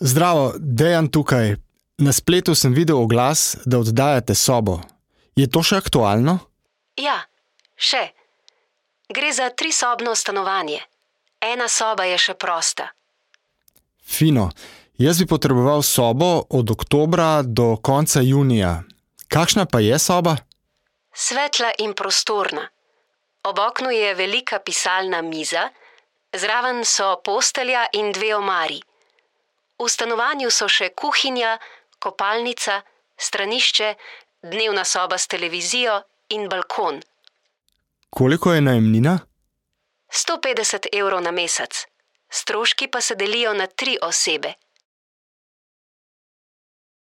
Zdravo, Dejan tukaj. Na spletu sem videl oglas, da oddajate sobo. Je to še aktualno? Ja, še. Gre za 3-sobno stanovanje. Ena soba je še prosta. Fino. Jaz bi potreboval sobo od oktobra do konca junija. Kakšna pa je soba? Svetla in prostorna. Ob oknu je velika pisalna miza, zraven so postelja in 2 omari. V stanovanju so še kuhinja, kopalnica, stranišče, dnevna soba s televizijo in balkon. Koliko je najemnina? 150 € na mesec. Stroški pa se delijo na 3 osebe.